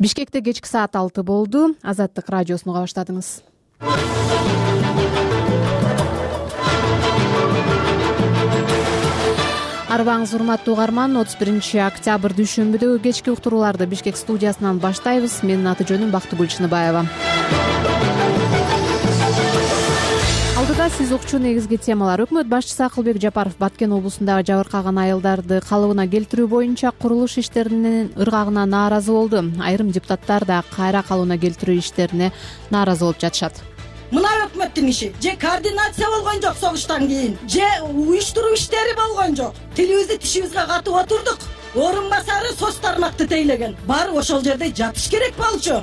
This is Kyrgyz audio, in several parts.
Бишкекте кечки саат 6 болду. Азаттык радиосун уга баштадыңыз. Арбаңыз урматтуу угарман, 31-октябрь дүйшөмбүдөгү кечки уктурууларды Бишкек студиясынан баштайбыз. Менин аты жөнүм Бактыгүл Чыныбаева. Алдыда сиз укчу негизги темалар. Өкмөт башчысы Акылбек Жапаров Баткен облусундагы жабыркаган айылдарды калыбына келтирүү боюнча курулуш иштеринин ыргагына нааразы болду. Айрым депутаттар да кайра калыбына келтирүү иштерине нааразы болуп жатышат. Мына өкмөттүн иши же координация болгон жок согуштан кийин, же уюштуруу иштери болгон жок. Тилибизди тишибизге катып отурдук. Орун басары соц тармакты тейлеген. Баары ошол жерде жатыш керек болчу.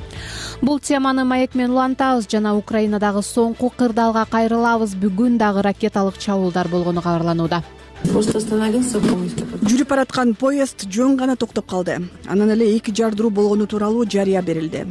Бул теманы маек менен улантабыз жана Украинадагы соңку кырдаалга кайрылабыз. Бүгүн дагы ракеталык чабуулдар болгону кабарланууда. Жүрүп бараткан поезд жөн гана токтоп калды. Анан эле 2 жардыруу болгону тууралуу жарыя берилди.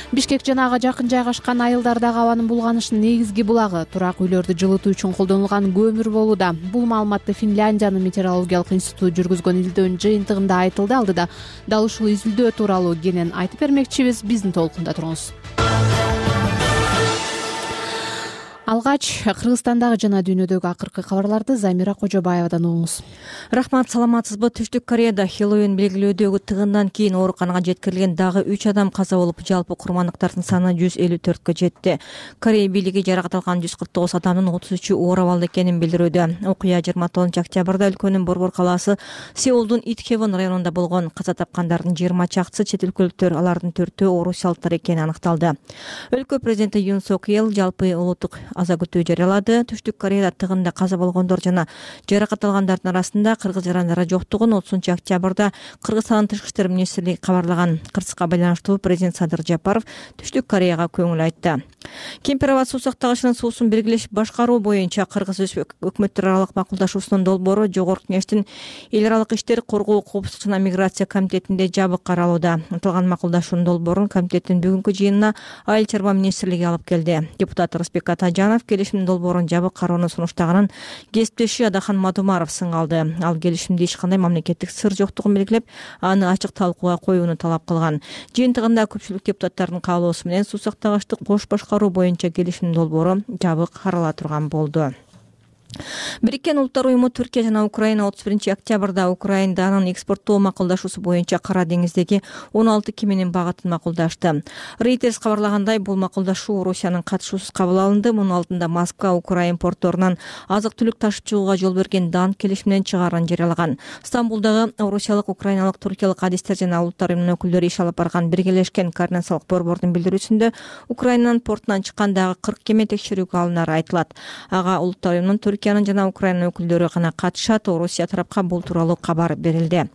Бишкек жана ага жакын жайгашкан айылдардагы абанын булганышынын негизги булагы турак үйлөрдү жылытуу үчүн колдонулган көмүр болууда. Бул маалыматты Финляндиянын метеорологиялык институту жүргүзгөн изилдөөнүн жыйынтыгында айтылды. Алдыда дал ушул изилдөө тууралуу кенен айтып бермекчибиз. Биздин толкунда туруңуз. Алгач Кыргызстандагы жана дүйнөдөгү акыркы кабарларды Замира Кожобаевадан угуңуз. Рахмат, саламатсызбы? Түштүк Кореяда Хэллоуин белгилөөдөгү тыгындан кийин ооруканага жеткирилген дагы 3 адам каза болуп, жалпы курмандыктардын саны 154кө жетти. Корея бийлиги жаракат алган 149 адамдын 33-ü оор абалда экенин билдирүүдө. Окуя 29-октябрда өлкөнүн Борбор калаасы Сеулдун Итхевон районунда болгон. Каза тапкандардын 20 чакчысы чет өлкөлүктөр, алардын 4-өө орусиялыктар экени аныкталды. Өлкө президенти Юн Сок Йел жалпы улуттук аза күтүү жарыялады. Түштүк Кореяда тыгында каза болгондор жана жаракат алгандардын арасында кыргыз жарандары жоктугун 30-октябрда Кыргызстандын тышкы иштер министрлиги кабарлаган. Кырсыкка байланыштуу президент Садыр Жапаров Түштүк Кореяга көңүл айтты. Кемпир-Аба суу сактагычынын суусун белгилешип башкаруу боюнча Кыргыз өкмөттөр аралык макулдашуусунун долбоору Жогорку Кеңештин эл аралык иштер, коргоо, коопсуздук жана миграция комитетинде жабык каралууда. Аталган макулдашуунун долбоорун комитеттин бүгүнкү жыйынына Айыл чарба министрлиги алып келди. Депутат Рысбек Атажанов келишимдин долбоорун жабык кароону сунуштаганын кесиптеши Адахан Мадумаров сыңалды. Ал келишимде эч кандай мамлекеттик сыр жоктугун белгилеп, аны ачык талкууга коюуну талап кылган. Жыйынтыгында көпчүлүк депутаттардын каалоосу менен суу сактагычты кош башкаруу боюнча келишимдин долбоору жабык карала турган болду. Бириккен Улуттар уюму Түркия жана Украина 31-октябрда Украинанын экспорттоо макулдашуусу боюнча Кара деңиздеги 16 кеменин багытын макулдашты. Reuters кабарлагандай, бул макулдашуу Орусиянын катышуусуз кабыл алынды. Мунун алдында Москва Украин порторунан азык-түлүк ташып чыгууга жол берген дан келишиминен чыгаарын жарыялаган. Стамбулдагы орусиялык, украиналык, туркиялык адистер жана Улуттар уюмунун өкүлдөрү иш алып барган биргелешкен координациялык борбордун билдирүүсүндө Украинанын портунан чыккандагы 40 кеме текшерүүгө алынары айтылат. Ага Улуттар уюмунун Түркиянын жана Украина өкүлдөрү гана катышат. Орусия тарапка бул тууралуу кабар берилди.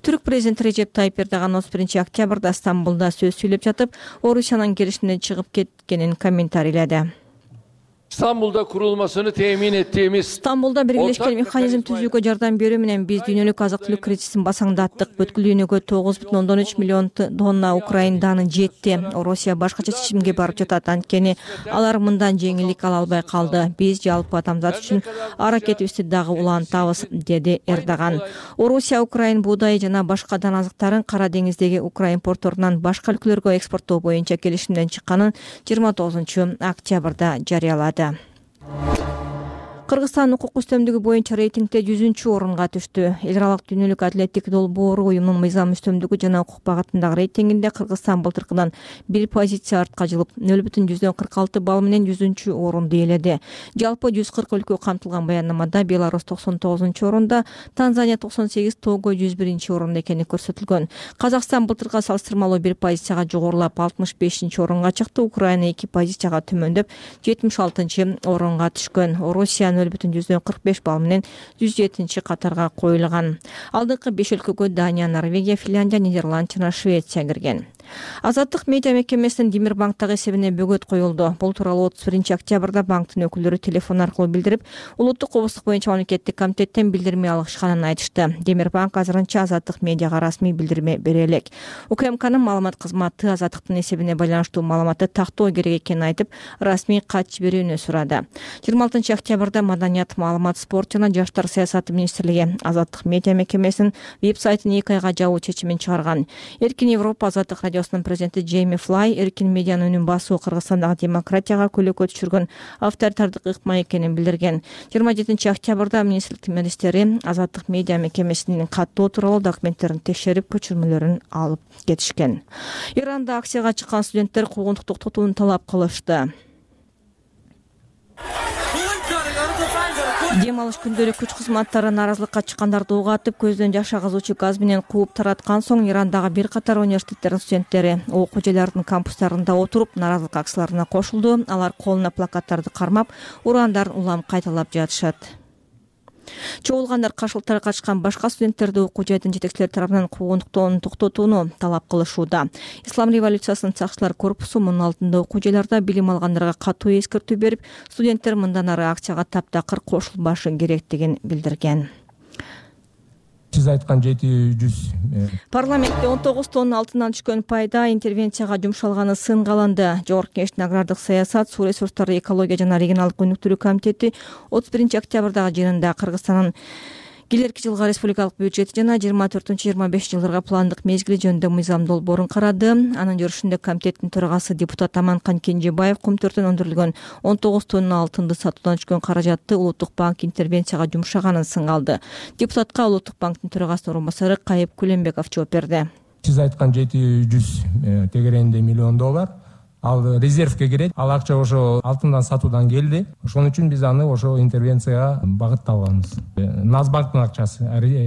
Түрк президенти Режеп Тайип Эрдоган 31-октябрда Стамбулда сөз сүйлөп жатып, Орусиянын келишимден чыгып кеткенин комментарийледи. Стамбулда kurulmasını temin ettiğimiz Стамбулда биргелешкен механизм түзүүгө жардам берүү менен биз дүйнөлүк азык-түлүк кризисин басаңдаттык. Бүткүл дүйнөгө 9,3 миллион тонна Украин даны жетти. Орусия башкача чечимге барып жатат, анткени алар мындан жеңилдик ала албай калды. Биз жалпы адамзат үчүн аракетибизди дагы улантабыз, деди Эрдоган. Орусия Украин буудай жана башка дан азыктарын Кара деңиздеги Украин порторунан башка өлкөлөргө экспорттоо боюнча келишимден чыкканын 29-октябрда жарыялады. Кыргызстан укук үстөмдүгү боюнча рейтингде 100-орунга түштү. Эл аралык дүйнөлүк адилеттик долбоору уюмдун мыйзам үстөмдүгү жана укук багытындагы рейтингинде Кыргызстан былтыркыдан 1 позиция артка жылып, 0,46 балл менен 100-орунду ээледи. Жалпы 140 өлкө камтылган баяндамада Беларусь 99-орунда, Танзания 98, Того 101-орунда экени көрсөтүлгөн. Казакстан былтыркыга салыштырмалуу 1 позицияга жогорулап 65-орунга чыкты. Украина 2 позицияга төмөндөп 76-орунга түшкөн. Орусия 0,45 балл менен 107 катарга коюлган. Алдыңкы 5 өлкөгө Дания, Норвегия, Финляндия, Нидерланд жана Швеция кирген. Азаттык медиа мекемесинин Демирбанктагы эсебине бөгөт коюлду. Бул тууралуу 31-октябрда банктын өкүлдөрү телефон аркылуу билдирип, улуттук коопсуздук боюнча мамлекеттик комитеттен билдирме алышканын айтышты. Демирбанк азырынча Азаттык медиага расмий билдирме бере элек. УКМКнын маалымат кызматы Азаттыктын эсебине байланыштуу маалыматты тактоо керек экенин айтып, расмий кат жиберүүнү сурады. 26-октябрда Маданият, маалымат, спорт жана жаштар саясаты министрлиги Азаттык медиа мекемесинин веб-сайтын 2 айга жабуу чечимин чыгарган. Эркин Европа Азаттык радио радиосунун президенти Джейми Флай эркин медианын үнүн басуу Кыргызстандагы демократияга көлөкө түшүргөн авторитардык ыкма экенин билдирген. 27 октябрда министрлик министери Азаттык медиа мекемесинин каттоо тууралуу документтерин текшерип, көчүрмөлөрүн алып кетишкен. Иранда акцияга чыккан студенттер куугунтук токтотууну талап кылышты. Дем алыш күндөрү күч кызматтары нааразылыкка чыккандарды уга атып, көздөн жаш агызуучу газ менен кууп тараткан соң Ирандагы бир катар университеттердин студенттери окуу жайларынын кампустарында отуруп нааразылык акцияларына кошулду. Алар колуна плакаттарды кармап, ураандарын улам кайталап жатышат. Чогулгандар каршылыктарга катышкан башка студенттерди окуу жайдын жетекчилери тарабынан куугунтуктоону токтотууну талап кылышууда. Ислам революциясынын сакчылар корпусу мунун алдында окуу жайларда билим алгандарга катуу эскертүү берип, студенттер мындан ары акцияга таптакыр кошулбашы керектигин билдирген. Сиз айткан 700 Парламентте 19 тонна алтындан түшкөн пайда интервенцияга жумшалганы сынга алынды. Жогорку Кеңештин агрардык саясат, суу ресурстары, экология жана регионалдык өнүктүрүү комитети 31 октябрдагы жыйынында Кыргызстандын келерки жылга республикалык бюджети жана 24-25 жылдарга пландык мезгили жөнүндө мыйзам долбоорун карады. Анын жүрүшүндө комитеттин төрагасы депутат Аманкан Кенжебаев Кумтөрдөн өндүрүлгөн 19 тонна алтынды сатуудан түшкөн каражатты Улуттук банк интервенцияга жумшаганын сынга алды. Депутатка Улуттук банктын төрагасынын орун басары Кайып Күлөнбеков жооп берди. Сиз айткан 700 тегерегинде миллион доллар ал резервге кирет. Ал акча ошо алтындан сатуудан келди. Ошон үчүн биз аны ошо интервенцияга багытталганбыз. Нацбанктын акчасы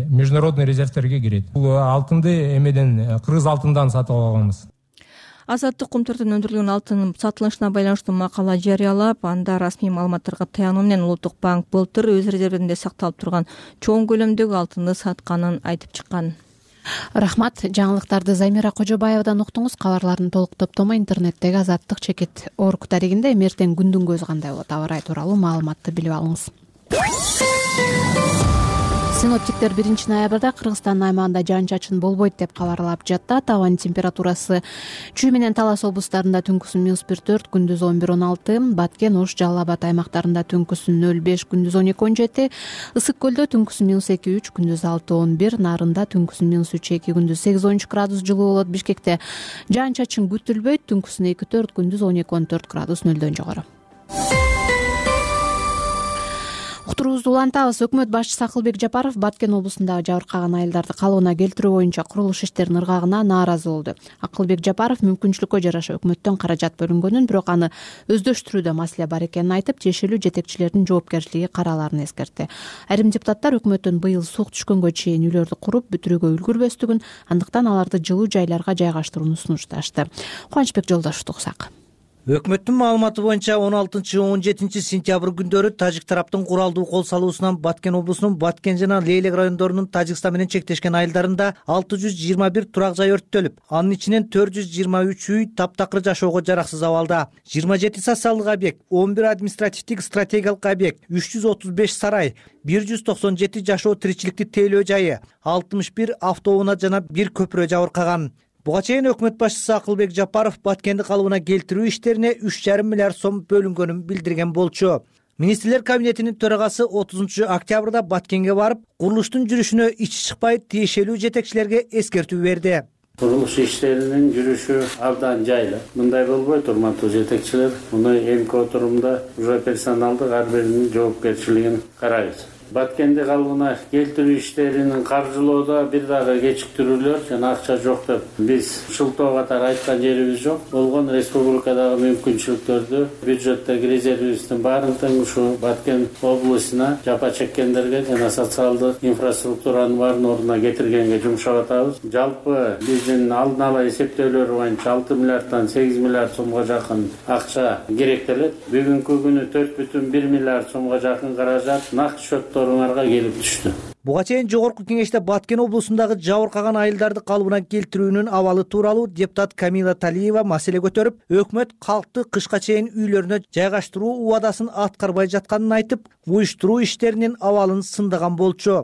международный резервтерге кирет. Бул алтынды эмеден, кыргыз алтындан сатып алганбыз. Азаттык Кумтөрдөн өндүрүлгөн алтын сатылышына байланыштуу макала жарыялап, анда расмий маалыматтарга таянуу менен Улуттук банк былтыр өз резервинде сакталып турган чоң көлөмдөгү алтынды сатканын айтып чыккан. Рахмат. Жаңылыктарды Замира Кожобаевадан уктуңуз. Кабарлардын толук топтому интернеттеги azattik.org дарегинде. Эртең күндүн көзү кандай болот, аба ырайы тууралуу маалыматты билип алыңыз. Синоптиктер 1 ноябрда Кыргызстандын аймагында жаан-чачын болбойт деп кабарлап жатат. Абанын температурасы Чүй менен Талас облустарында түнкүсүн -1-4, күндүз 11-16, Баткен, Ош, Жалал Абад аймактарында түнкүсүн 0-5, күндүз 12-17, Ысык көлдө түнкүсүн -2-3, күндүз 6-11, Нарында түнкүсүн -3-2, күндүз 8-13 градус жылуу болот. Бишкекте жаан-чачын күтүлбөйт, түнкүсүн 2-4, күндүз 12-14 градус нөлдөн жогору. Уктуруубузду улантабыз. Өкмөт башчысы Акылбек Жапаров Баткен облусундагы жабыркаган айылдарды калыбына келтирүү боюнча курулуш иштеринин ыргагына нааразы болду. Акылбек Жапаров мүмкүнчүлүккө жараша өкмөттөн каражат бөлүнгөнүн, бирок аны өздөштүрүүдө маселе бар экенин айтып, тиешелүү жетекчилердин жоопкерчилиги караларын эскертти. Айрым депутаттар өкмөттүн быйыл сук түшкөнгө чейин үйлөрдү куруп бүтүрүүгө үлгүрбөстүгүн, андыктан аларды жылуу жайларга жайгаштырууну сунушташты. Кубанычбек Жолдошевду уксак. Өкмөттүн маалыматы боюнча 16-17 сентябрь күндөрү тажик тараптын куралдуу кол салуусунан Баткен облусунун Баткен жана Лейлек райондорунун Тажикстан менен чектешкен айылдарында 621 турак жай өрттөлүп, анын ичинен 423 үй таптакыр жашоого жараксыз абалда. 27 социалдык объект, 11 административдик стратегиялык объект, 335 сарай, 197 жашоо тиричиликти тейлөө жайы, 61 автоунаа жана 1 көпүрө жабыркаган. Буга чейин өкмөт башчысы Акылбек Жапаров Баткенди калыбына келтирүү иштерине 3,5 миллиард сом бөлүнгөнүн билдирген болчу. Министрлер кабинетинин төрагасы 30 октябрда Баткенге барып, курулуштун жүрүшүнө ичи чыкпай тиешелүү жетекчилерге эскертүү берди. Курулуш иштеринин жүрүшү абдан жайлы. Мындай болбойт, урматтуу жетекчилер. Муну эмки отурумда уже персоналдык ар биринин жоопкерчилигин карайбыз. Баткенди калыбына келтирүү иштеринин каржылоодо бир дагы кечиктирүүлөр жана акча жок деп биз шылтоо катары айткан жерибиз жок. Болгон республикадагы мүмкүнчүлүктөрдү бюджеттеги резервибиздин баарын тең ушу Баткен облусуна жапа чеккендерге жана социалдык инфраструктуранын баарын ордуна кетиргенге жумшап атабыз. Жалпы биздин алдын ала эсептөөлөр боюнча 6 миллиарддан 8 миллиард сомго жакын акча керектелет. Бүгүнкү күнү 4,1 миллиард сомго жакын каражат нак счеттор келип түштү. Буга чейин Жогорку Кеңеште Баткен облусундагы жабыркаган айылдарды калыбына келтирүүнүн абалы тууралуу депутат Камила Талиева маселе көтөрүп, өкмөт калкты кышка чейин үйлөрүнө жайгаштыруу убадасын аткарбай жатканын айтып, уюштуруу иштеринин абалын сындаган болчу.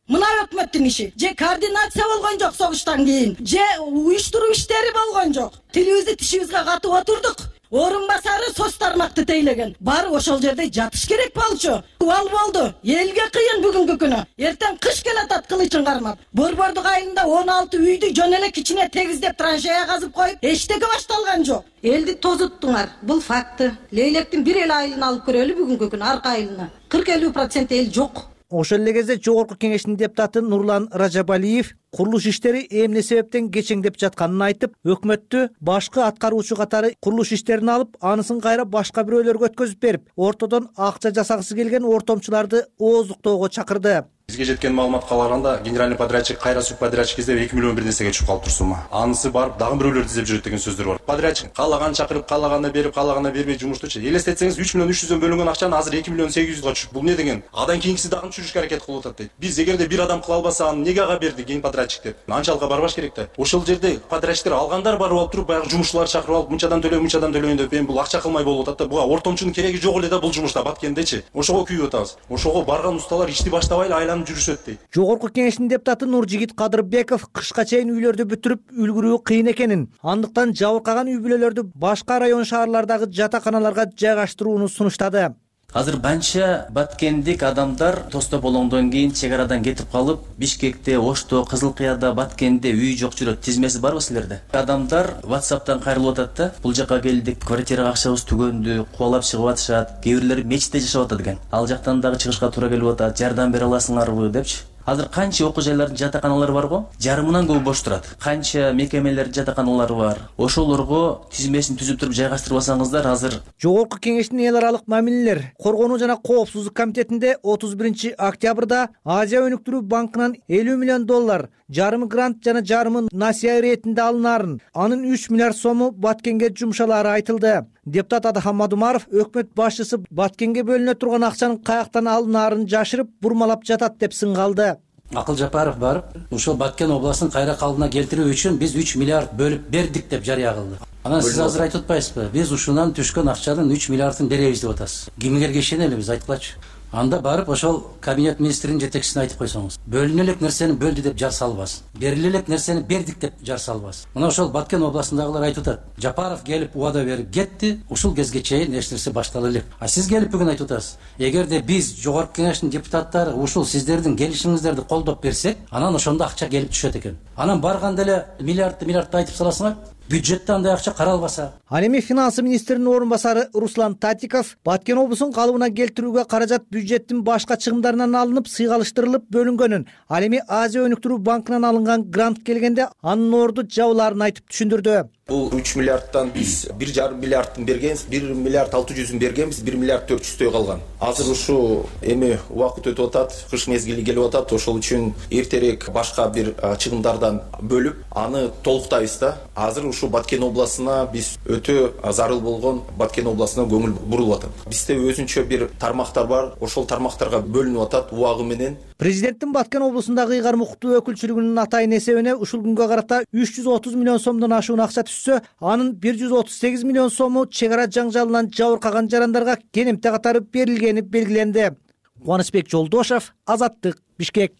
Мына өкмөттүн иши же координация болгон жок согуштан кийин, же уюштуруу иштери болгон жок. Тилибизди тишибизге катып отурдук. орун басары СОС тармакты тейлеген. Барып ошол жерде жатыш керек болчу. Ал болду. Элге кыйын бүгүнкү күнү. Эртең кыш келатат кылычын кармап. Борбордук айылында 16 үйдү жөн эле кичине тегиздеп траншея казып коюп, эчтеке башталган жок. Элди тозуттуңар. Бул факты. Лейлектин бир эле айылын алып көрөлү бүгүнкү күнү арка айылына. 40-50% эл жок. Ошол эле кезде жогорку кеңештин депутаты Нурлан Ражабалиев курулуш иштери эмне себептен кечеңдеп жатканын айтып, өкмөттү башкы аткаруучу катары курулуш иштерин алып, анысын кайра башка бирөөлөргө өткөзүп берип, ортодон акча жасагысы келген ортомчуларды ооздуктоого чакырды. Бизге жеткен маалыматка караганда, генеральный подрядчик кайра субподрядчик издеп 2 миллион бир нерсеге чыгып калыптыр сумма. Анысы барып дагы бирөөлөрдү издеп жүрөт деген сөздөр бар. Подрядчик каалаган чакырып, каалаганды берип, каалаганды бербей жумуштучу. Элестетсеңиз 3 миллион 300дөн бөлүнгөн акчаны азыр 2 миллион 800га түшүп. Бул не деген? Адан кийинкиси дагы түшүрүшкө аракет кылып атат дейт. Биз эгерде бир адам кыла албаса, аны неге ага берди ген подрядчик деп? Анчалыкка барбаш керек да. Ошол жерде подрядчиктер алгандар барып алып туруп, баягы жумушчуларды чакырып алып, мынчадан төлөйүн деп, эми бул акча кылмай болуп атат да. Буга ортомчунун кереги жок эле да бул жумушта Баткендечи. Ошого күйүп атабыз. Ошого барган усталар ишти баштабай эле айланып жүрүшөт дейт. Жогорку кеңештин депутаты Нуржигит Кадырбеков кышка чейин үйлөрдү бүтүрүп үлгүрүү кыйын экенин, андыктан жабыркаган үй бүлөлөрдү башка район шаарлардагы жатаканаларга жайгаштырууну сунуштады. Азыр банча баткендик адамдар тосто болгондон кийин чек арадан кетип калып, Бишкекте, Ошто, Кызыл Кыяда, Баткенде үй жок жүрөт. Тизмеси барбы силерде? Адамдар WhatsApp'тан кайрылып атат да. Бул жака келдик, квартирага акчабыз түгөндү, кубалап чыгып атышат. Кээ бирлери мечитте жашап атат экен. Ал жактан дагы чыгышка туура келип атат. Жардам бере аласыңарбы депчи. Азыр канча окуу жайлардын жатаканалары бар го? Жарымынан көп бош турат. Канча мекемелердин жатаканалары бар. Ошолорго тизмесин түзүп туруп жайгаштырып алсаңыздар азыр. Жогорку кеңештин эл аралык мамилелер коргонуу жана коопсуздук комитетинде 31 октябрда Азия өнүктүрүү банкынан $50 миллион, жарымы грант жана жарымы насыя иретинде алынаарын, анын 3 миллиард сому Баткенге жумшалаары айтылды. Депутат Адахам Мадумаров өкмөт башчысы Баткенге бөлүнө турган акчанын каяктан алынаарын жашырып, бурмалап жатат деп сыңгалды. Акыл Жапаров барып, ушул Баткен областын кайра калыбына келтирүү үчүн биз 3 миллиард бөлүп бердик деп жарыя кылды. Анан сиз азыр айтып атпайсызбы? Биз ушунан түшкөн акчанын 3 миллиардын беребиз деп атасыз. Кимге ишенели биз айткылачы. Анда барып ошол кабинет министринин жетекчисине айтып койсоңуз. Бөлүнө элек нерсени бөлдү деп жар салбасын. Бериле элек нерсени бердик деп жар салбасын. Мына ошол Баткен областындагылар айтып атат. Жапаров келип убада берип кетти, ушул кезге чейин эч нерсе баштала элек. А сиз келип бүгүн айтып атасыз. Эгерде биз жогорку кеңештин депутаттары ушул сиздердин келишиңиздерди колдоп берсек, анан ошондо акча келип түшөт экен. Анан барганда эле миллиардты айтып саласыңар. Бюджетте андай акча каралбаса. Ал эми финансы министринин орун басары Руслан Татиков Баткен облусун калыбына келтирүүгө каражат бюджеттин башка чыгымдарынан алынып, сыйгалыштырылып бөлүнгөнүн, ал эми Азия өнүктүрүү банкынан алынган грант келгенде анын орду жабылаарын айтып түшүндүрдү. Бул 3 миллиардтан биз 1,5 миллиардын бергенбиз, 1 миллиард 600 бергенбиз, 1 миллиард 400 калган. Азыр ушу эми убакыт өтүп атат, кыш мезгили келип атат, ошол үчүн эртерээк башка бир чыгымдардан бөлүп, аны толуктайбыз да. Азыр ушу Баткен областына биз өтө зарыл болгон Баткен областына көңүл бурулуп атат. Бизде өзүнчө бир тармактар бар, ошол тармактарга бөлүнүп атат убагы менен. Президенттин Баткен облусундагы ыйгарым укуктуу өкүлчүлүгүнүн атайын эсебине ушул күнгө карата 330 миллион сомдон ашуун акча түшсө, анын 138 миллион сому чек ара жаңжалынан жабыркаган жарандарга кенемте катары берилгени белгиленди. Кубанычбек Жолдошов, Азаттык, Бишкек.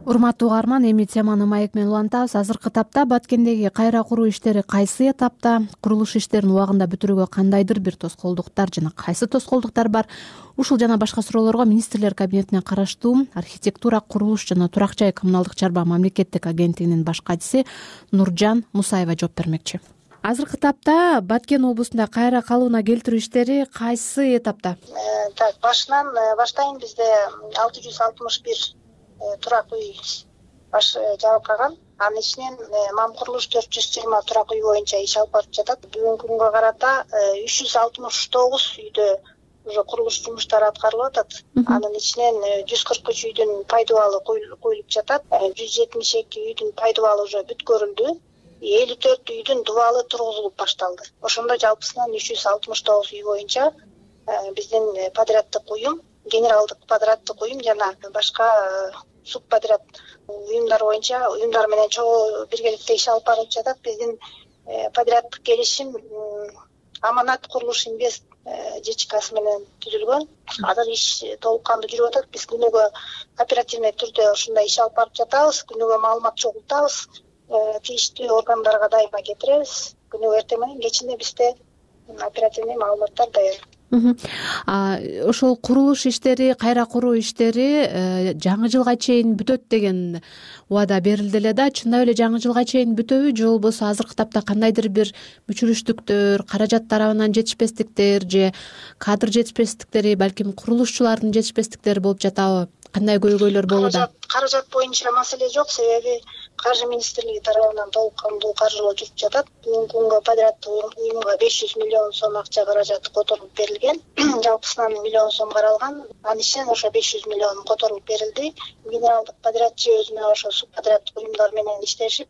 Урматтуу угарман, эми теманы маек менен улантабыз. Азыркы тапта Баткендеги кайра куруу иштери кайсы этапта, курулуш иштерин убагында бүтүрүүгө кандайдыр бир тоскоолдуктар жана кайсы тоскоолдуктар бар? Ушул жана башка суроолорго министрлер кабинетине караштуу архитектура, курулуш жана турак жай коммуналдык чарба мамлекеттик агенттигинин баш катчысы Нуржан Мусаева жооп бермекчи. Азыркы тапта Баткен облусунда кайра калыбына келтирүү иштери кайсы этапта? Баштайын бизде 661 турак үй жабыркаган. Анын ичинен мам курулуш 420 турак үй боюнча иш алып барып жатат. Бүгүнкү күнгө карата 369 үйдө уже курулуш жумуштары аткарылып атат. Анын ичинен 143 үйдүн пайдубалы коюлуп жатат. 172 үйдүн пайдубалы уже бүткөрүлдү. 54 үйдүн дубалы тургузулуп башталды. Ошондо жалпысынан 369 үй боюнча биздин подряддык уюм, генералдык подряддык уюм жана башка субподряд уюмдар боюнча уюмдар менен чогуу биргеликте иш алып барып жатат. Биздин подряддык келишим Аманат курулуш инвест ЖЧКсы менен түзүлгөн. Азыр иш толук кандуу жүрүп атат. Биз күнүгө оперативный түрдө ушундай иш алып барып жатабыз. Күнүгө маалымат чогултабыз. Тийиштүү органдарга дайыма кетиребиз. Күнүгө эртең менен кечинде бизде оперативный маалыматтар даяр. Ошол курулуш иштери, кайра куруу иштери жаңы жылга чейин бүтөт деген убада берилди эле да. Чындап эле жаңы жылга чейин бүтөбү же болбосо азыркы тапта кандайдыр бир мүчүрүштүктөр, каражат тарабынан жетишпестиктер же кадр жетишпестиктери, балким курулушчулардын жетишпестиктери болуп жатабы? Кандай көйгөйлөр болууда? Каражат боюнча маселе жок, себеби Каржы министрлиги тарабынан толук кандуу каржылоо жүрүп жатат. Бүгүнкү күнгө подряддык уюмга 500 миллион сом акча каражаты которулуп берилген. Жалпысынан миллион сом каралган. Анын ичинен ошо 500 миллион которулуп берилди. Генералдык подрядчы өзүнө ошо субподряддык уюмдар менен иштешип,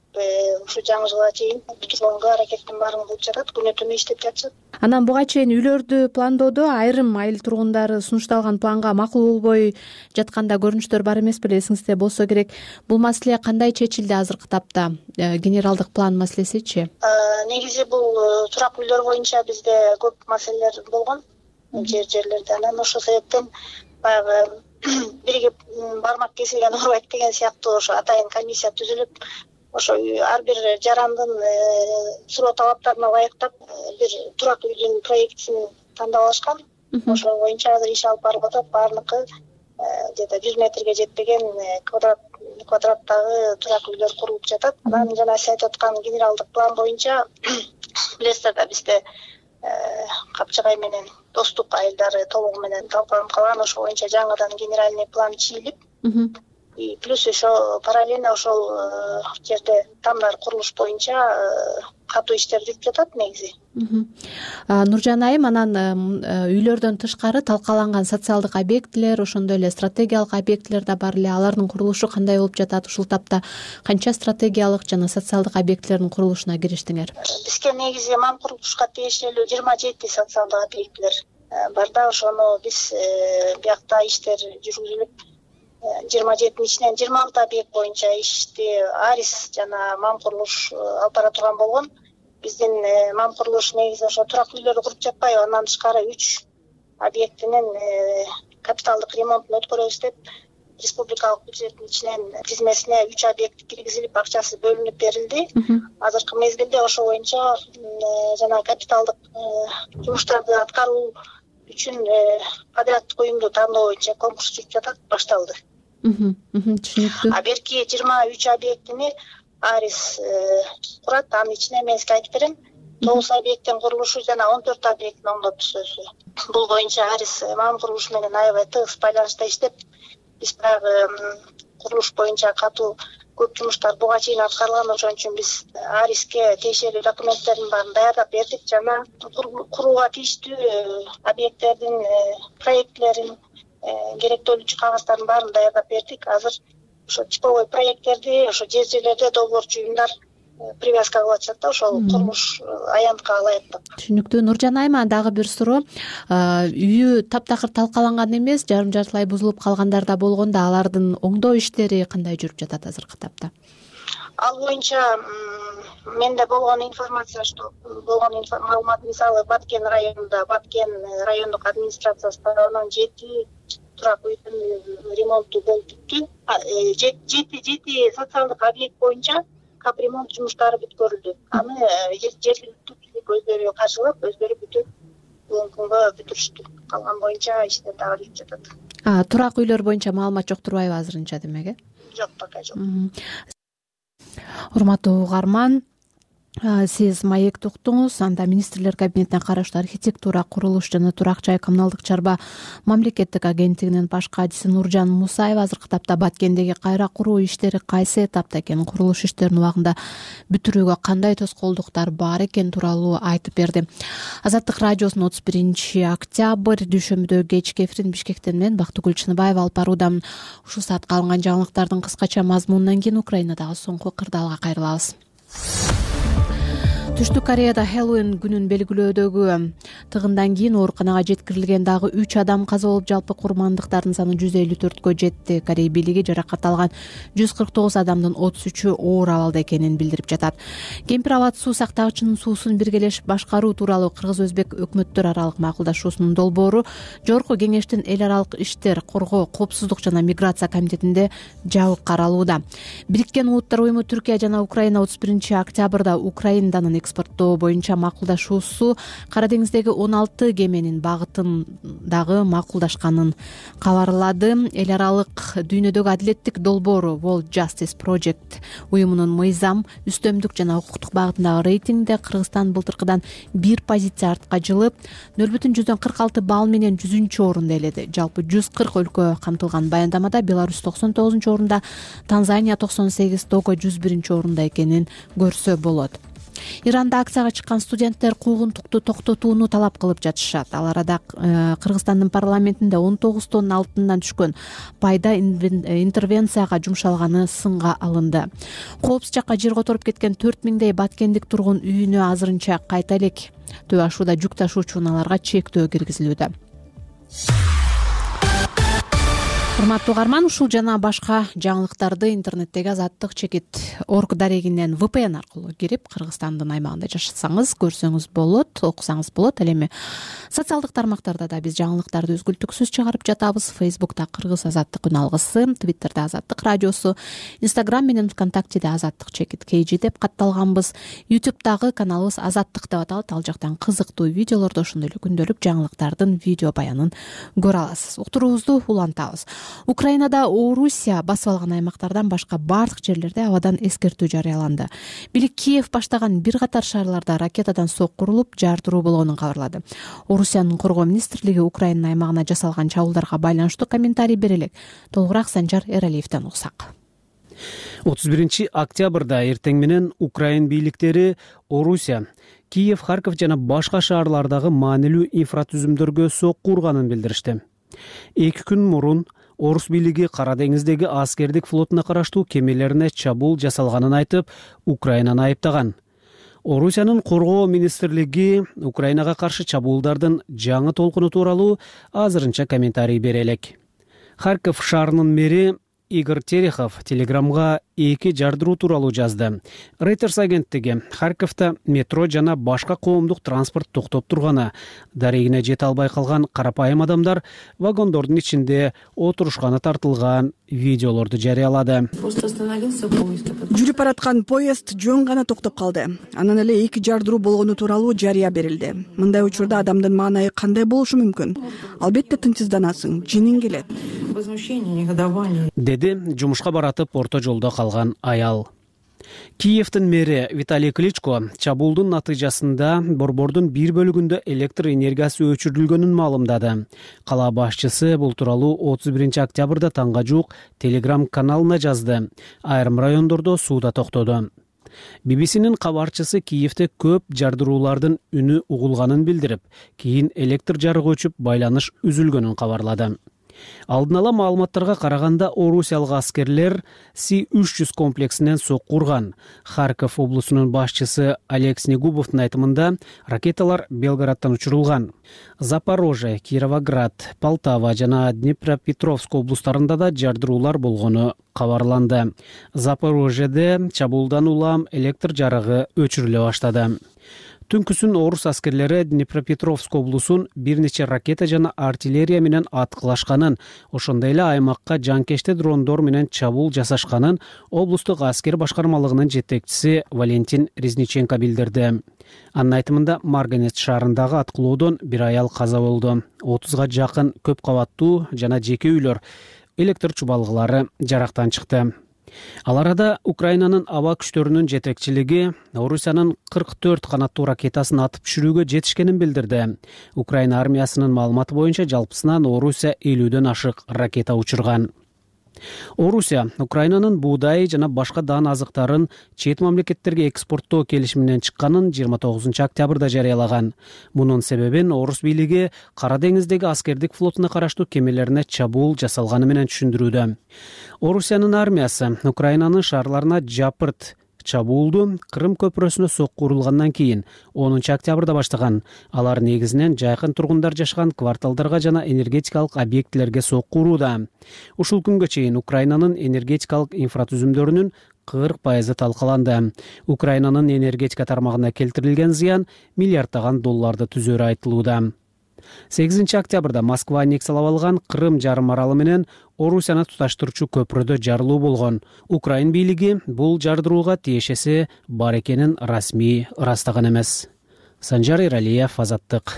ушу жаңы жылга чейин бүтүргөнгө аракеттин баарын кылып жатат. Күнү түнү иштеп жатышат. Анан буга чейин үйлөрдү пландоодо айрым айыл тургундары сунушталган планга макул болбой жатканда көрүнүштөр бар эмес беле? Эсиңизде болсо керек. Бул маселе кандай чечилди азыркы тапта? Генералдык план маселесичи? Негизи бул турак үйлөр боюнча бизде көп маселелер болгон жерлерде. Анан ошол себептен баягы бирге бармак кесилген оорубайт деген сыяктуу ошо атайын комиссия түзүлүп, ошо ар бир жарандын суроо талаптарына ылайыктап бир турак үйдүн проектисин тандап алышкан. Ошол боюнча азыр иш алып барылып атат. Баардыгы где-то 100 метрге жетпеген квадраттагы турак үйлөр курулуп жатат. Анан жана сиз айтып аткан генералдык план боюнча билесиздер да бизде Капчыгай менен Достук айылдары толугу менен талкаланып калган. Ошол боюнча жаңыдан генеральный план чийилип, и плюс ошо параллельно ошол жерде тамдар курулуш боюнча катуу иштер жүрүп жатат негизи. Нуржан айым, анан үйлөрдөн тышкары талкаланган социалдык объектилер, ошондой эле стратегиялык объектилер да бар эле. Алардын курулушу кандай болуп жатат? Ушул тапта канча стратегиялык жана социалдык объектилердин курулушуна кириштиңер? Бизге негизи мам курулушка тиешелүү 27 социалдык объектилер бар да. Ошону биз биякта иштер жүргүзүлүп 27-нин ичинен 26 объект боюнча ишти Арис жана мам курулуш алып бара турган болгон. Биздин мам курулуш негизи ошо турак үйлөрдү куруп жатпайбы, андан тышкары 3 объектинин капиталдык ремонтун өткөрөбүз деп республикалык бюджеттин ичинен тизмесине 3 объект киргизилип, акчасы бөлүнүп берилди. Азыркы мезгилде ошо боюнча жана капиталдык жумуштарды аткаруу үчүн подряддык уюмду тандоо боюнча конкурс жүрүп жатат, башталды. Түшүнүктүү. А берки 23 объектини Арис курат. Анын ичине мен сизге айтып берем. 9 объекттин курулушу жана 14 объекттин оңдоп түзүүсү. Бул боюнча Арис мам курулуш менен аябай тыгыз байланышта иштеп, биз баягы курулуш боюнча катуу көп жумуштар буга чейин аткарылган. Ошон үчүн биз Ариске тиешелүү документтердин баарын даярдап бердик. Жана курууга тийиштүү объекттердин проектлерин, керектүүлүчү кагаздардын баарын даярдап бердик. Азыр ошо типовой проекттерди ошо жерлерде долбоорчу уюмдар привязка кылып атышат да, ошол курулуш аянтка ылайыктап. Түшүнүктүү. Нуржан айым, дагы бир суроо. Үйү таптакыр талкаланган эмес, жарым жартылай бузулуп калгандар да болгон да, алардын оңдоо иштери кандай жүрүп жатат азыркы тапта? Ал боюнча менде болгон информация, что болгон маалымат, мисалы Баткен районунда, Баткен райондук администрациясы тарабынан 7 турак үйдүн ремонту болуп бүттү. 7 социалдык объект боюнча капремонт жумуштары бүткөрүлдү. Аны жергиликтүү бийлик өздөрү каржылап, өздөрү бүтүп, бүгүнкү күнгө бүтүрүштү. Калган боюнча иштер дагы жүрүп жатат. Турак үйлөр боюнча маалымат жок турбайбы азырынча, демек? Жок, пока жок. Урматтуу угарман, сиз маекти уктуңуз. Анда министрлер кабинетине караштуу архитектура, курулуш жана турак жай коммуналдык чарба мамлекеттик агенттигинин баш катчысы Нуржан Мусаева азыркы тапта Баткендеги кайра куруу иштери кайсы этапта экенин, курулуш иштерин убагында бүтүрүүгө кандай тоскоолдуктар бар экени тууралуу айтып берди. Азаттык радиосунун 31-октябрь дүйшөмбүдө кечки эфирин Бишкектен мен Бактыгүл Чыныбаева алып баруудамын. Ушул саатка алынган жаңылыктардын кыскача мазмунунан кийин Украинадагы соңку кырдаалга кайрылабыз. Түштүк Кореяда Хэллоуин күнүн белгилөөдөгү тыгындан кийин ооруканага жеткирилген дагы 3 адам каза болуп, жалпы курмандыктардын саны 154кө жетти. Корея бийлиги жаракат алган 149 адамдын 33-ү оор абалда экенин билдирип жатат. Кемпир абад суу сактагычынын суусун биргелешип башкаруу тууралуу кыргыз-өзбек өкмөттөр аралык макулдашуусунун долбоору Жогорку Кеңештин эл аралык иштер, коргоо, коопсуздук жана миграция комитетинде жабык каралууда. Бириккен Улуттар уюму Түркия жана Украина 31-октябрда Украинанын экспорттоо боюнча макулдашуусу Кара деңиздеги 16 кеменин багытын дагы макулдашканын кабарлады. Эл аралык дүйнөдөгү адилеттик долбоору World Justice Project уюмунун мыйзам, үстөмдүк жана укуктук багытындагы рейтингде Кыргызстан былтыркыдан 1 позиция артка жылып, 0,46 балл менен 100-орунду ээледи. Жалпы 140 өлкө камтылган баяндамада Беларусь 99-орунда, Танзания 98, Того 101-орунда экенин көрсө болот. Иранда акцияга чыккан студенттер куугунтукту токтотууну талап кылып жатышат. Ал арада Кыргызстандын парламентинде 19 тонна алтындан түшкөн пайда интервенцияга жумшалганы сынга алынды. Коопсуз жакка жер которуп кеткен 4000дей баткендик тургун үйүнө азырынча кайта элек Төө ашууда жүк ташуучу унааларга чектөө киргизилүүдө. Урматтуу угарман, ушул жана башка жаңылыктарды интернеттеги Азаттык чекит орг дарегинен VPN аркылуу кирип, Кыргызстандын аймагында жашасаңыз көрсөңүз болот, окусаңыз болот. Ал эми социалдык тармактарда да биз жаңылыктарды үзгүлтүксүз чыгарып жатабыз. Facebook'та Кыргыз Азаттык үн алгысы, Twitter'да Азаттык радиосу, Instagram менен ВКонтактеде Азаттык чекит KG деп катталганбыз. YouTube'дагы каналыбыз Азаттык деп аталат. Ал жактан кызыктуу видеолорду, ошондой эле күндөлүк жаңылыктардын видео баянын көрө аласыз. Уктуруубузду улантабыз. Украинада Орусия басып алган аймактардан башка бардык жерлерде абадан эскертүү жарыяланды. Бийлик Киев баштаган бир катар шаарларда ракетадан сок курулуп, жардыруу болгонун кабарлады. Орусиянын коргоо министрлиги Украина аймагына жасалган чабуулдарга байланыштуу комментарий бере элек. Толугураак Санжар Эралиевден угсак. 31-октябрда эртең менен Украин бийликтери Орусия, Киев, Харьков жана башка шаарлардагы маанилүү инфратүзүмдөргө сок курганын билдиришти. 2 күн мурун Орус бийлиги Кара деңиздеги аскердик флотуна караштуу кемелерине чабуул жасалганын айтып, Украинаны айыптаган. Орусиянын коргоо министрлиги Украинага каршы чабуулдардын жаңы толкуну тууралуу азырынча комментарий бере элек. Харьков шаарынын мэри Игорь Терехов Телеграмга 2 жардыруу тууралуу жазды. Reuters агенттиги Харьковто метро жана башка коомдук транспорт токтоп турганы, дарегине жете албай калган карапайым адамдар вагондордун ичинде отурушканы тартылган видеолорду жарыялады. Жүрүп бараткан поезд жөн гана токтоп калды. Анан эле 2 жардыруу болгону тууралуу жарыя берилди. Мындай учурда адамдын маанайы кандай болушу мүмкүн? Албетте тынчсызданасың, жиниң келет. Деди жумушка баратып орто жолдо калган аял. Киевдин мэри Виталий Кличко чабуулдун натыйжасында борбордун бир бөлүгүндө электр энергиясы өчүрүлгөнүн маалымдады. Кала башчысы бул тууралуу 31-октябрда таңга жуук Telegram каналына жазды. Айрым райондордо сууда токтоду. BBC'нин кабарчысы Киевде көп жардыруулардын үнү угулганын билдирип, кийин электр жарыгы өчүп, байланыш үзүлгөнүн кабарлады. Алдын ала маалыматтарга караганда орусиялык аскерлер С-300 комплексинен сок курган. Харьков облусунун башчысы Олег Снегубовдун айтымында ракеталар Белградтан учурулган. Запорожье, Кировоград, Полтава жана Днепропетровск облустарында да жардыруулар болгону кабарланды. Запорожьеде чабуулдан улам электр жарыгы өчүрүлө баштады. Түнкүсүн орус аскерлери Днепропетровск облусун бир нече ракета жана артиллерия менен аткылашканын, ошондой эле аймакка жанкечте дрондор менен чабуул жасашканын облустук аскер башкармалыгынын жетекчиси Валентин Резниченко билдирди. Анын айтымында Марганец шаарындагы аткылоодон бир аял каза болду. 30га жакын көп кабаттуу жана жеке үйлөр, электр чубалгылары жарактан чыкты. Ал арада Украинанын аба күчтөрүнүн жетекчилиги Орусиянын 44 канаттуу ракетасын атып түшүрүүгө жетишкенин билдирди. Украина армиясынын маалыматы боюнча жалпысынан Орусия 50дөн ашык ракета учурган. Орусия Украинанын буудай жана башка даан азыктарын чет мамлекеттерге экспорттоо келишиминен чыкканын 29-октябрда жарыялаган. Мунун себебин орус бийлиги Кара деңиздеги аскердик флотуна караштуу кемелерине чабуул жасалганы менен түшүндүрүүдө. Орусиянын армиясы Украинанын шаарларына жапырт чабуулду Крым көпүрөсүнө сокку урулгандан кийин 10 октябрда баштаган. Алар негизинен жакын тургундар жашаган кварталдарга жана энергетикалык объектилерге сокку урууда. Ушул күнгө чейин Украинанын энергетикалык инфратүзүмдөрүнүн 40% талкаланды. Украинанын энергетика тармагына келтирилген зыян миллиарддаган долларды түзөрү айтылууда. 8 октябрда Москва аннексиялап алган Крым жарым аралы менен Орусияны туташтырчу көпүрөдө жарылуу болгон. Украин бийлиги бул жардырууга тиешеси бар экенин расмий ырастаган эмес. Санжар Эралиев, Азаттык.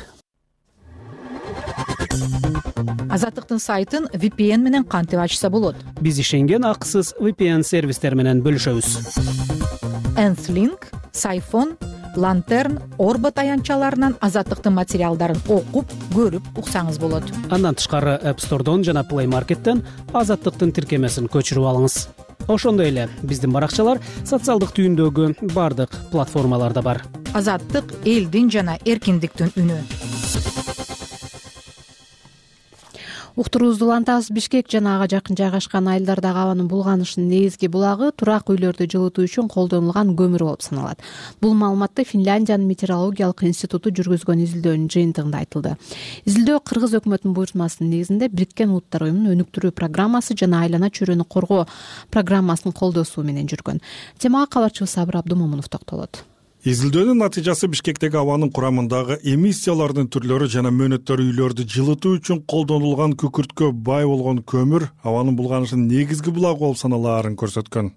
Азаттыктын сайтын VPN менен кантип ачса болот? Биз ишенген акысыз VPN сервистер менен бөлүшөбүз. Nth-Link, Siphon, Lantern, Orbit аянтчаларынан Азаттыктын материалдарын окуп, көрүп уксаңыз болот. Андан тышкары App Store'дон жана Play Market'тен Азаттыктын тиркемесин көчүрүп алыңыз. Ошондой эле биздин баракчалар социалдык түйүндөгү бардык платформаларда бар. Азаттык элдин жана эркиндиктин үнү. Уктуруубузду улантабыз. Бишкек жана ага жакын жайгашкан айылдардагы абанын булганышынын негизги булагы турак үйлөрдү жылытуу үчүн колдонулган көмүр болуп саналат. Бул маалыматты Финляндиянын метеорологиялык институту жүргүзгөн изилдөөнүн жыйынтыгында айтылды. Изилдөө Кыргыз өкмөтүнүн буйртмасынын негизинде Бириккен Улуттар уюмунун өнүктүрүү программасы жана айлана чөйрөнү коргоо программасынын колдоосу менен жүргөн. Темага кабарчыбыз Сабыр Абдумомунов токтолот. Изилдөөнүн натыйжасы Бишкектеги абанын курамындагы эмиссиялардын түрлөрү жана мөөнөттөр үйлөрдү жылытуу үчүн колдонулган күкүрткө бай болгон көмүр абанын булганышынын негизги булагы болуп саналаарын көрсөткөн.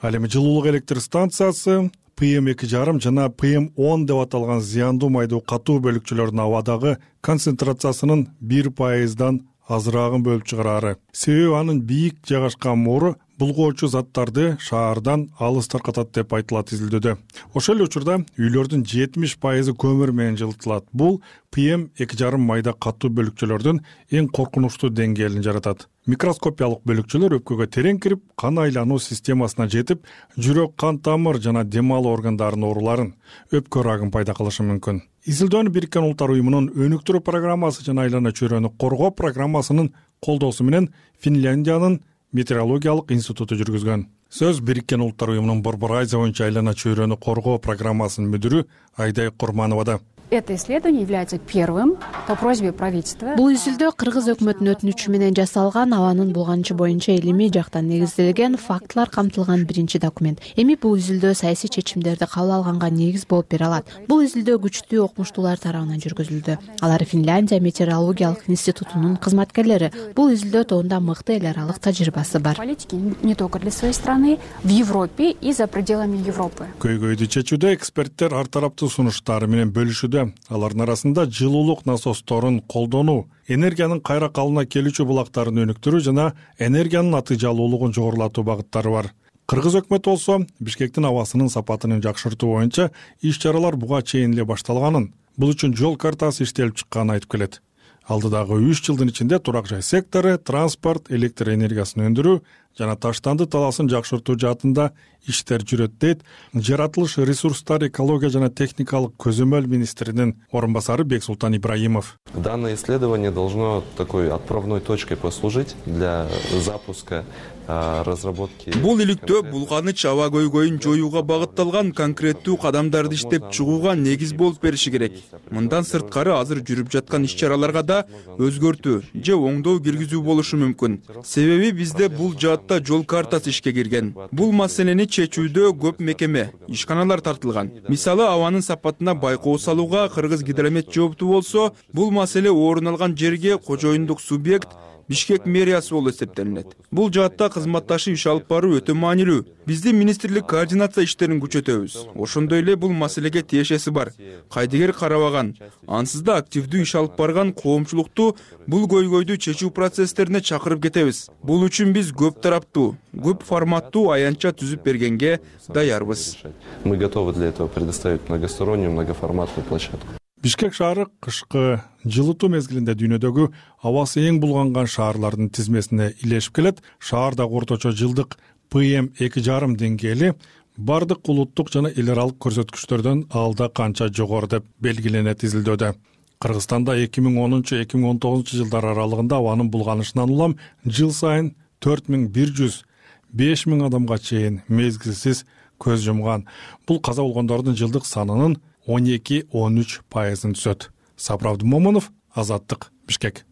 Ал эми жылуулук электр станциясы PM2,5 жана PM10 деп аталган зыяндуу майдуу катуу бөлүкчөлөрдүн абадагы концентрациясынын 1%дан азыраагын бөлүп чыгарары. Себеби анын бийик жайгашкан моору булгоочу заттарды шаардан алыс таркатат деп айтылат изилдөөдө. Ошол эле учурда үйлөрдүн 70% көмүр менен жылытылат. Бул PM2,5 майда катуу бөлүкчөлөрдүн эң коркунучтуу деңгээлин жаратат. Микроскопиялык бөлүкчөлөр өпкөгө терең кирип, кан айлануу системасына жетип, жүрөк, кан тамыр жана дем алуу органдарынын ооруларын, өпкө рагын пайда кылышы мүмкүн. Изилдөөнү Бириккен Улуттар уюмунун өнүктүрүү программасы жана айлана чөйрөнү коргоо программасынын колдоосу менен Финляндиянын метеорологиялык институту жүргүзгөн. Сөз Бириккен Улуттар уюмунун Борбор Азия боюнча айлана чөйрөнү коргоо программасынын мүдүрү Айдай Курмановада. Это исследование является первым по просьбе правительства. Бул изилдөө Кыргыз өкмөтүнүн өтүнүчү менен жасалган абанын булганышы боюнча илимий жактан негизделген фактылар камтылган биринчи документ. Эми бул изилдөө саясий чечимдерди кабыл алганга негиз болуп бере алат. Бул изилдөө күчтүү окумуштуулар тарабынан жүргүзүлдү. Алар Финляндия метеорологиялык институтунун кызматкерлери. Бул изилдөө тобунда мыкты эл аралык тажрыйбасы бар. Политики не только для своей страны, в Европе и за пределами Европы. Көйгөйдү чечүүдө эксперттер ар тараптуу сунуштары менен бөлүшүүдө. Алардын арасында жылуулук насосторун колдонуу, энергиянын кайра калыбына келүүчү булактарын өнүктүрүү жана энергиянын натыйжалуулугун жогорулатуу багыттары бар. Кыргыз өкмөтү болсо Бишкектин абасынын сапатын жакшыртуу боюнча иш-чаралар буга чейин эле башталганын, бул үчүн жол картасы иштелип чыкканын айтып келет. Алдыдагы 3 жылдын ичинде турак жай сектору, транспорт, электр энергиясын өндүрүү жана таштанды талаасын жакшыртуу жаатында иштер жүрөт дейт жаратылыш ресурстар, экология жана техникалык көзөмөл министринин орун басары Бексултан Ибраимов. Данное исследование должно такой отправной точкой послужить для запуска разработки. Бул иликтөө булганыч аба көйгөйүн жоюуга багытталган конкреттүү кадамдарды иштеп чыгууга негиз болуп бериши керек. Мындан сырткары азыр жүрүп жаткан иш-чараларга да өзгөртүү же оңдоо киргизүү болушу мүмкүн. Себеби бизде бул жаатта жол картасы ишке кирген. Бул маселени чечүүдө көп мекеме, ишканалар тартылган. Мисалы, абанын сапатына байкоо салууга Кыргыз гидромет жооптуу болсо, бул маселе орун алган жерге кожоюндук субъект Бишкек мэриясы болуп эсептелинет. Бул жаатта кызматташып иш алып баруу өтө маанилүү. Биздин министрлик координация иштерин күчөтөбүз. Ошондой эле бул маселеге тиешеси бар. Кайдыгер карабаган, ансыз да активдүү иш алып барган коомчулукту бул көйгөйдү чечүү процесстерине чакырып кетебиз. Бул үчүн биз көп тараптуу, көп форматтуу аянтча түзүп бергенге даярбыз. Мы готовы для этого предоставить многостороннюю, многоформатную площадку. Бишкек шаары кышкы жылытуу мезгилинде дүйнөдөгү абасы эң булганган шаарлардын тизмесине илешип келет. Шаардагы орточо жылдык PM2,5 деңгээли бардык улуттук жана эл аралык көрсөткүчтөрдөн алда канча жогору деп белгиленет изилдөөдө. Кыргызстанда 2010-2019 жылдар аралыгында абанын булганышынан улам жыл сайын 4100-5000 адамга чейин мезгилсиз көз жумган. Бул каза болгондордун жылдык санынын 12-13% түзөт. Сапар Абдумомунов, Азаттык, Бишкек.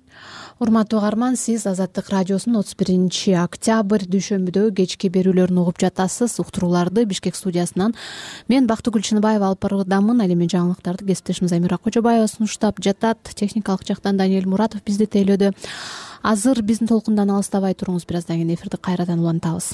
Урматтуу угарман, сиз Азаттык радиосунун 31 октябрь дүйшөмбүдөгү кечки берүүлөрүн угуп жатасыз. Уктурууларды Бишкек студиясынан мен Бактыгүл Чыныбаева алып баруудамын. Ал эми жаңылыктарды кесиптешим Замира Кожобаева сунуштап жатат. Техникалык жактан Даниэль Муратов бизди тейлөөдө. Азыр биздин толкундан алыстабай туруңуз, бираздан кийин эфирди кайрадан улантабыз.